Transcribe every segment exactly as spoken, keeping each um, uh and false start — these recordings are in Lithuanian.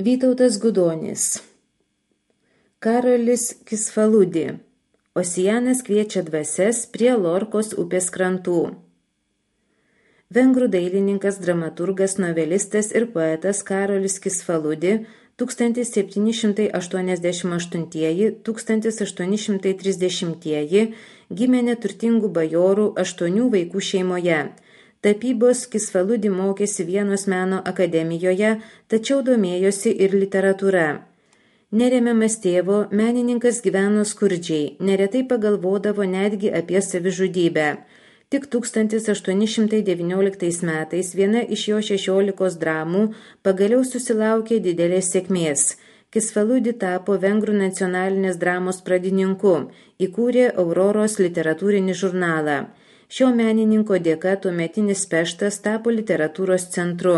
Vytautas Gudonis. Karolis Kisfaludi. Osianas kviečia dvasias prie Lorkos upės krantų. Vengrų dailininkas, dramaturgas, novelistas ir poetas Karolis Kisfaludi tūkstantis septyni šimtai aštuoniasdešimt aštuntieji - tūkstantis aštuoni šimtai trisdešimtieji gimė neturtingų bajorų aštuonių vaikų šeimoje. Tapybos Kisfaludi mokėsi Vienos meno akademijoje, tačiau domėjosi ir literatūra. Neremiamas tėvo, menininkas gyveno skurdžiai, neretai pagalvodavo netgi apie savižudybę. Tik tūkstantis aštuoni šimtai devynioliktais metais viena iš jo šešiolikos dramų pagaliau susilaukė didelės sėkmės. Kisfaludi tapo Vengrų nacionalinės dramos pradininku, įkūrė Auroros literatūrinį žurnalą. Šio menininko dėka tuometinis Peštas tapo literatūros centru.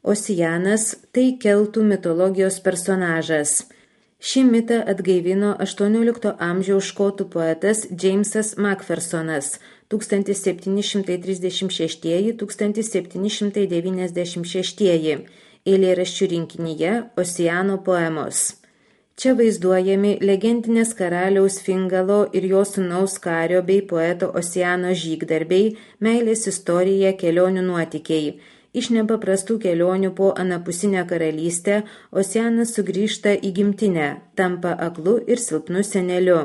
Osianas – tai keltų mitologijos personažas. Šį mitą atgaivino aštuoniolikto amžiaus škotų poetas Džeimsas Makfersonas tūkstantis septyni šimtai trisdešimt šeštieji - tūkstantis septyni šimtai devyniasdešimt šeštieji eilėraščių rinkinyje Osiano poemos. Čia vaizduojami legendinės karaliaus Fingalo ir jo sūnaus Kario bei poeto Osiano žygdarbiai, meilės istorija, kelionių nuotykiai. Iš nepaprastų kelionių po anapusinę karalystę Osianas sugrįžta į gimtinę, tampa aklu ir silpnu seneliu.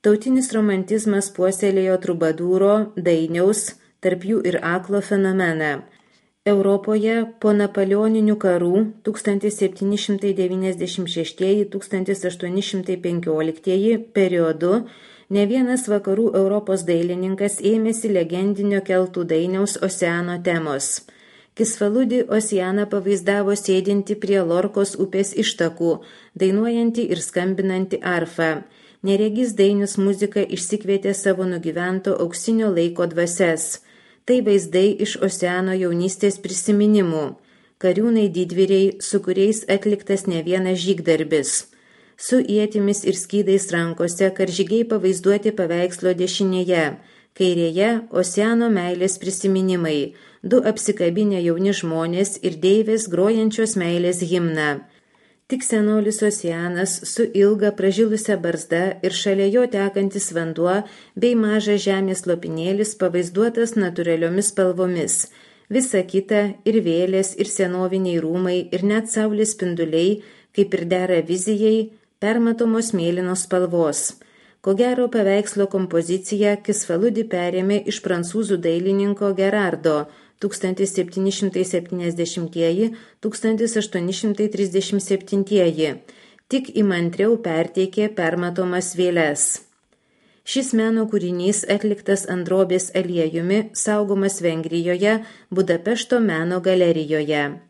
Tautinis romantizmas puoselėjo trubadūro, dainiaus, tarp jų ir aklo fenomeną. Europoje po napoleoninių karų tūkstantis septyni šimtai devyniasdešimt šeštieji - tūkstantis aštuoni šimtai penkioliktieji periodu ne vienas vakarų Europos dailininkas ėmėsi legendinio keltų dainiaus Osiano temos. Kisfaludi Osianą pavaizdavo sėdinti prie Lorkos upės ištakų, dainuojantį ir skambinantį arfą. Neregys dainius muzika išsikvietė savo nugyvento auksinio laiko dvasias. Tai vaizdai iš Osiano jaunystės prisiminimų. Kariūnai didvyriai, su kuriais atliktas ne vienas žygdarbis. Su ietimis ir skydais rankose karžygiai pavaizduoti paveikslo dešinėje. Kairėje Osiano meilės prisiminimai. Du apsikabinę jauni žmonės ir deivės grojančios meilės himną. Tik senolis Osianas su ilga pražilusia barzda ir šalia jo tekantis vanduo bei mažas žemės lopinėlis pavaizduotas natūraliomis spalvomis. Visa kita ir vėlės, ir senoviniai rūmai, ir net saulės spinduliai, kaip ir dera vizijai, permatomos mėlynos spalvos. Ko gero paveikslo kompoziciją Kisfaludi perėmė iš prancūzų dailininko Gerardo tūkstantis septyni šimtai septyniasdešimtieji - tūkstantis aštuoni šimtai trisdešimt septintieji, tik įmantriau perteikė permatomas vėles. Šis meno kūrinys atliktas ant drobės aliejumi, saugomas Vengrijoje, Budapešto meno galerijoje.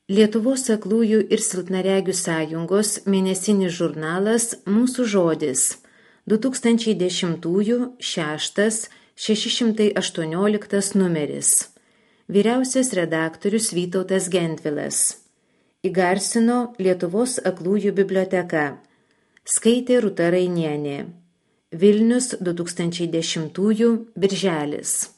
Lietuvos aklųjų ir silpnaregių sąjungos mėnesinis žurnalas Mūsų žodis du tūkstančiai dešimtųjų šeštas šeši šimtai aštuonioliktas numeris. Vyriausias redaktorius Vytautas Gentvilas. Įgarsino Lietuvos aklųjų biblioteka. Skaitė Rūta Rainienė. Vilnius du tūkstančiai dešimtųjų birželis.